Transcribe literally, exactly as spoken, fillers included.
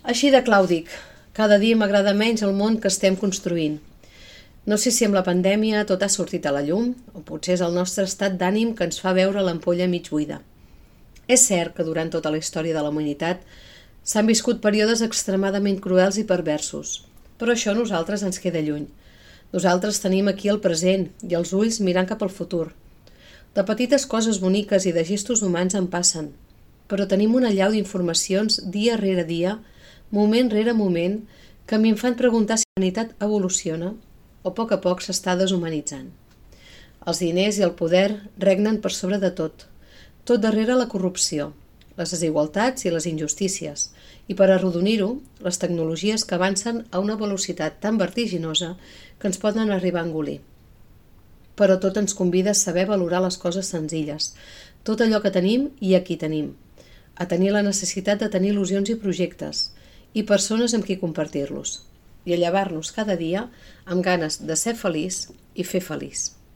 Així de clau dic, cada dia m'agrada menys el món que estem construint. No sé si amb la pandèmia tot ha sortit a la llum, o potser és el nostre estat d'ànim que ens fa veure l'ampolla mig buida. És cert que durant tota la història de la humanitat s'han viscut períodes extremadament cruels i perversos, però això a nosaltres ens queda lluny. Nosaltres tenim aquí el present i els ulls mirant cap al futur. De petites coses boniques i de gestos humans en passen, però tenim una allau d'informacions dia rere dia, moment rere moment, que m'hi fan preguntar si la humanitat evoluciona o a poc a poc s'està deshumanitzant. Els diners i el poder regnen per sobre de tot, tot darrere la corrupció, les desigualtats i les injustícies, i per arrodonir-ho, les tecnologies que avancen a una velocitat tan vertiginosa que ens poden arribar a engolir. Però tot ens convida a saber valorar les coses senzilles, tot allò que tenim i a qui tenim, a tenir la necessitat de tenir il·lusions i projectes, i persones amb qui compartir-los, i a llevar-nos cada dia amb ganes de ser feliç i fer feliç.